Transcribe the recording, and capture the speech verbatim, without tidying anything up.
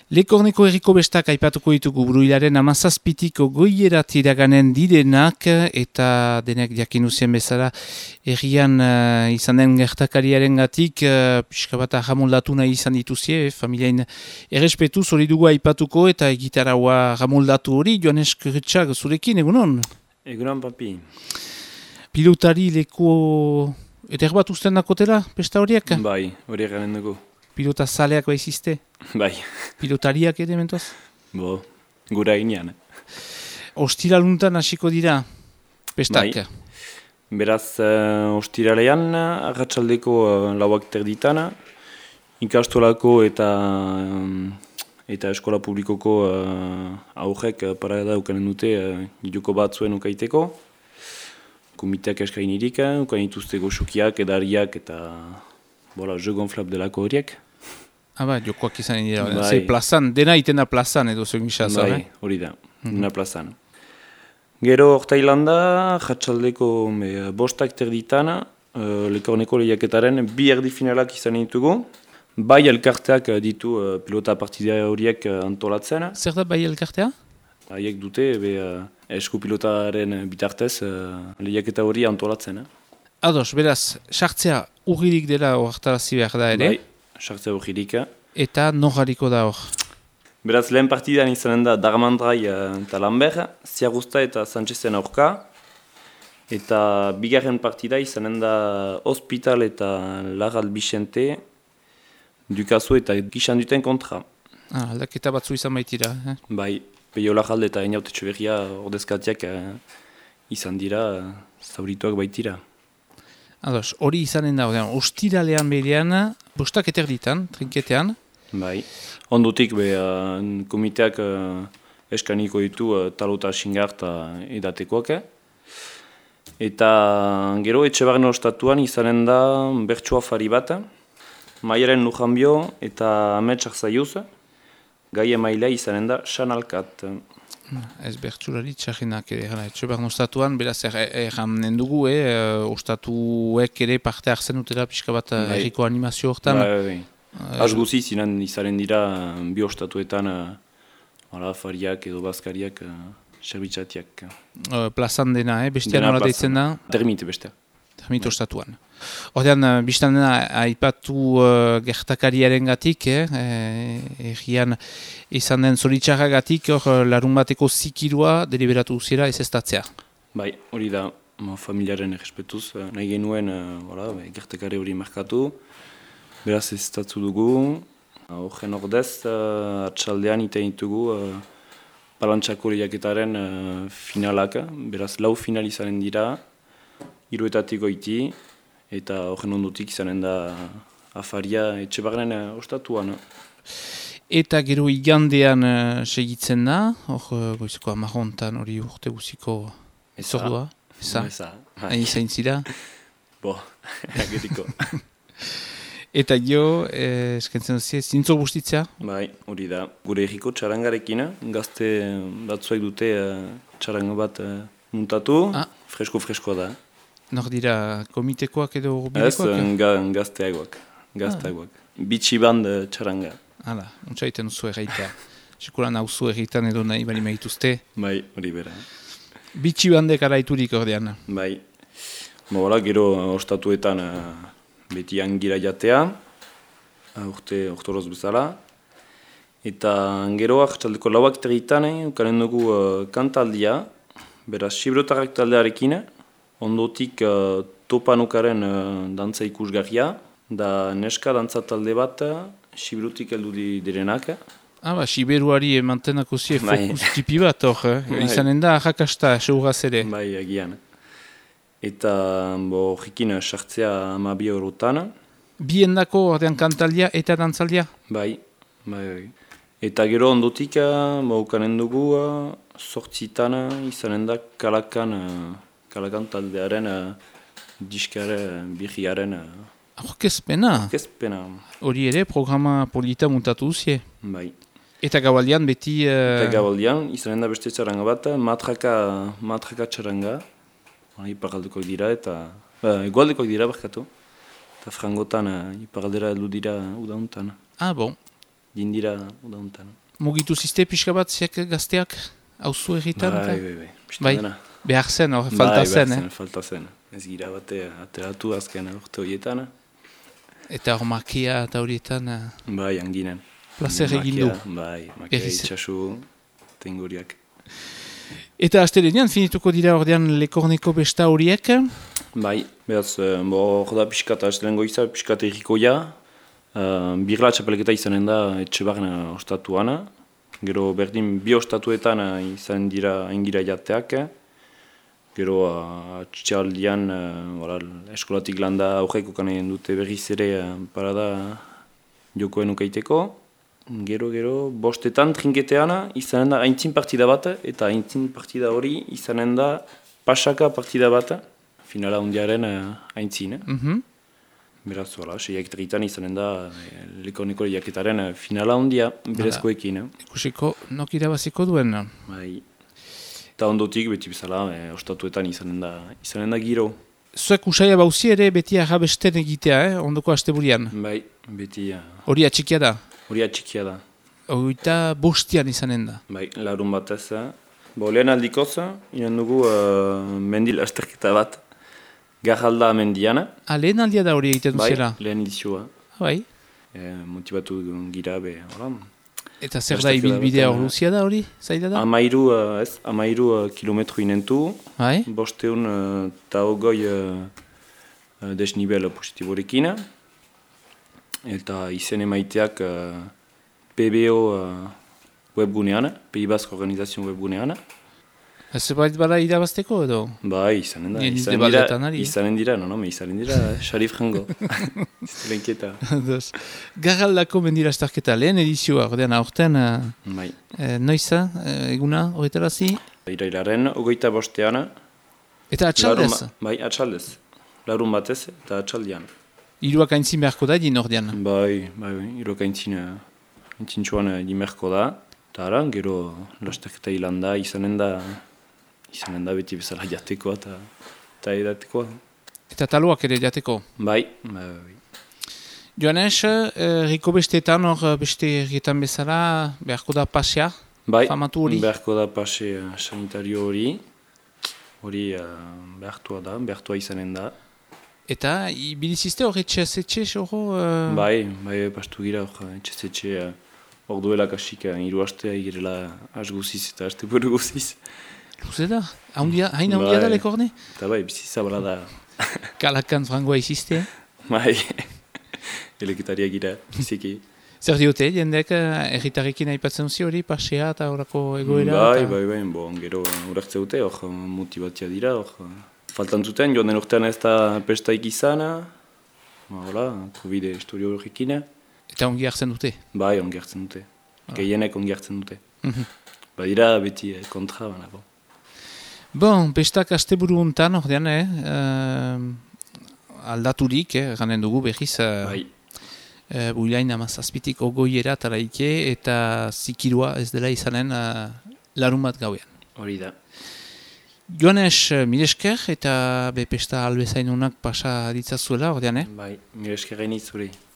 Lekorneko herriko bestak aipatuko ditugu buruilaren amazazpitiko goierat iraganen direnak eta denek jakinuzien bezala herrian uh, izan den gertakariaren gatik uh, pixka bat ahamoldatu nahi izan dituzie, familiain errespetu hori dugu aipatuko eta egitaraua ahamoldatu hori. Joanes Kurritxak zurekin, egunon? Egunon, papi. Pilotari leku eder bat usten dakotela, besta horiek? Bai, hori garen dugu. Pilota zaleak baizizte? Bai. Pilotariak ere mentoaz? Bo, gura inean. Ostiraluntan hasiko dira, pestak? Bai. Beraz, uh, ostiralean, arratsaldeko uh, lauak terditana, ikastolako eta um, eta eskola publikoko uh, aurrek uh, parada ukanen dute uh, joko bat zuen ukaiteko. Komiteak eskain irik, ukain ituzte goxukiak, edariak eta bola, jeu gonflap delako horiek. Ah, ba, jokoak izan dira. Bai. Ze plazan, dena itena plazan edo zuen gisa, Bai, hori da, dena plazan. Gero Hortailanda, jatsaldeko me, bostak terditana, uh, Lekorneko lehiaketaren bi erdi finalak izan ditugu. Bai elkarteak ditu uh, pilota partida horiek uh, antolatzen. Zer da bai elkartea? Haiek dute, be, uh, esku pilotaren bitartez uh, lehiaketa hori antolatzen. Eh? Ados, beraz, sartzea urririk dela hortarazi behar da ere. Bai, sartzea urririk. Eta nogariko da hor? Beraz, lehen partidan izanen da Darmandrai eta Lambert, Ziagusta eta Sanchezen aurka. Eta bigarren partida izanen da Hospital eta Larral Bixente, Dukazu eta Gixan duten kontra. Ah, aldaketa batzu izan baitira. Eh? Bai, Peio Larralde eta Einaut Etxeberria ordezkatiak eh, izan dira, zaurituak baitira. Ados, hori izanen da, ostiralean berean, bostak eterditan, trinketean. Bai, ondutik be, uh, komiteak uh, eskaniko ditu uh, talota xingar eta edatekoak. Eta gero Etxebarren ostatuan izanen da bertsua fari bat, Maiaren Lujanbio eta Ametsak Zaiuz, gai emailea izanen da Sanalkat. Ez bertsulari txarrenak ere, Etxebarren ostatuan, beraz erranen dugu, eh, ostatuek ere parte hartzen dutela pixka bat erriko animazio hortan. Bai, bai. Az guzi zinen izaren dira bi ostatuetan uh, fariak edo bazkariak uh, serbitxatiak. Uh, plazan dena, eh? Bestean nola deitzen da? Termite bestea. Termite ostatuan. Ordean, uh, biztan dena, aipatu uh, gertakariaren gatik, eh? Egian izan den zoritxarra gatik, hor larun bateko zikirua deliberatu zira ez estatzea. Bai, hori da, ma, familiaren errespetuz, uh, nahi genuen uh, voilà, gertakari hori markatu. Beraz ez tatzu dugu, horren ordez, uh, atxaldean iten ditugu uh, palantxako lehiaketaren uh, finalak, beraz lau final izanen dira, hiruetatik goiti, eta horren ondutik izanen da afaria Etxebarren uh, ostatuan. Eta gero igandean uh, segitzen da, hor uh, goizeko amarrontan hori urte guziko zordua, eza, hain zain zira. Bo, ageriko. Eta jo, eh, eskentzen duzi, zintzo bustitzea? Bai, hori da. Gure egiko txarangarekin, gazte batzuek dute uh, txaranga bat uh, muntatu, ah. fresko-freskoa da. Nor dira komitekoak edo urbilekoak? Ez, ga, gazteagoak, gazteagoak. Ah. Bitxi band uh, txaranga. Hala, untsa iten duzu erraitea. Sekulan hauzu erritan edo nahi bali maituzte. Bai, hori bera. Bitxi bandek araiturik ordean. Bai. Bola, gero ostatuetan uh, beti angira jatea, urte ortoroz bezala. Eta gero hartzaldeko lauak territan, ukanen dugu uh, kantaldia, beraz Sibrotarrak taldearekin, ondotik uh, topanukaren uh, dantza ikusgarria, da neska dantza talde bat, Sibrotik heldu di direnak. Ah, ba, Siberuari emantenako zie fokus tipi bat hor, eh? Izanen da, jakasta, seuraz ere. Bai, agian. Eta horrekin sartzea amabi eurotan. Biendako ordean kantaldia eta dantzaldia? Bai, bai, bai. Eta gero ondotik, ukanen dugu, sortzitan izanen da kalakan, kalakan taldearen, diskare, birriaren. Orkezpena? Orkezpena. Hori ere, programa polita muntatu duzie? Bai. Eta gabaldian beti... Uh... Eta gabaldian, izanen da beste txaranga bat, matraka, matraka txaranga. Iparaldekoak dira eta... Uh, egualdekoak dira barkatu. Eta frangotan uh, iparaldera heldu dira udauntan. Ah, bon. dindira udauntan. Mugitu ziste pixka bat ziak gazteak hauzu egiten? Bai, bai, bai. Bai, Dena. behar zen, hor, falta bai, zen, behar eh? zen, falta zen. Ez gira bate ateratu azken urte horietan. Eta hor makia eta horietan uh, Bai, anginen. plazer egin du. Bai, makia Berriz. itxasu tenguriak. Eta astelenean finituko dira ordean lekorneko besta horiek? Bai, behaz, eh, bo, hor da pixkata astelen goiza, pixkata errikoia. Uh, birla txapelketa izanen da etxe barna ostatuana. Gero berdin bi ostatuetan uh, izan dira engira jateak. Gero uh, atxaldian uh, eskolatik landa aurreko kanen dute berriz ere uh, parada jokoen ukaiteko. Gero, gero, bostetan trinketeana izanen da aintzin partida bat, eta aintzin partida hori izanen da pasaka partida bat, finala hundiaren uh, aintzin. Eh? Mhm. Beraz, hola, seiak tritan izanen da eh, lekoneko jaketaren eh, finala hundia berezkoekin. Eh? Ikusiko nok irabaziko duen. Bai. Eta ondotik beti bezala, eh, ostatuetan izanen da, izanen da giro. Zuek usaia bauzi ere beti arrabesten egitea, eh? Ondoko asteburian. Bai, beti uh, Hori atxikia da. hori atxikia da. Hogeita bostian izanen da. Bai, larun batez. Eh? Bo, lehen aldikoz, inen dugu uh, mendil asterketa bat. Garralda mendiana. Ah, lehen aldia da hori egiten Bai, duzela. lehen edizioa. Bai. E, motibatu gira be, hola. Eta zer da Asterketa ibilbidea batean, hor luzia da hori? Zaila da? Amairu, uh, ez, amairu uh, kilometro inentu. Bai. Bosteun uh, eta hogoi uh, uh, desnibel positiborekin. Eta izen emaiteak uh, P B O uh, webgunean, Pays Basque Organizazio webgunean. Ez bait bada irabazteko edo? Bai, izanen da. Nien Izanen nire dira, baldetan ari, eh? izanen dira, no, no, me izanen dira, xarif jango. Iztelenketa. Ados. Garraldako mendira astarketa lehen edizioa, ordean aurten, uh, Bai. uh, noiza, uh, eguna, horretarazi? Irailaren, ogoita bostean. Eta atxaldez? larun ba- Bai, atxaldez. Larun batez eta atxaldian. Hiruak aintzin beharko da edin ordean. Bai, bai, bai, iroka aintzin, aintzintxuan dimerko da. Eta ara, gero lasterketa hilan da, izanen da, izanen da beti bezala jatekoa eta, eta edatekoa. Eta taloak ere jateko. Bai, bai, bai. Joanes, uh, riko besteetan hor uh, beste errietan bezala beharko da pasea? Bai, Famatu hori? beharko da pase uh, sanitario hori. Hori uh, behartua da, behartua izanen da. Eta ibilizizte hor etxe-etxe hor? Uh... Bai, bai, pastu gira hor etxe-etxe uh, hor duela kasik uh, hiru astea girela has guziz eta aste buru guziz. Luze da? Haundia, hain haundia da Bai. lekorne? Eta bai, bizi zabala da. Kalakan frangoa izizte? Bai, eleketaria gira, biziki. Zer diote, jendek erritarrekin aipatzen zi hori, pasea eta horako egoera? Bai, eta... bai, bai, bon, gero urartze dute, hor motibatia dira, hor. Faltan zuten, joan den urtean ez da pestaik izan, ba, hola, Covid historio horrekin. Eta ongi hartzen dute? Bai, ongi hartzen dute. Gehienek ongi hartzen dute. Mhm. Badira beti eh, kontra, baina, bon. Bon, bestak asteburu untan, ordean, eh? Uh, aldaturik, eh? Ganen dugu behiz, uh, Bai, uh, builain amazazpitik ogoiera taraike eta zikirua ez dela izanen uh, larun bat gauean. hori da. Joanes, uh, milesker eta bepesta albezainunak pasa ditzazuela, ordean, eh? Bai, mire eskerrein izuri.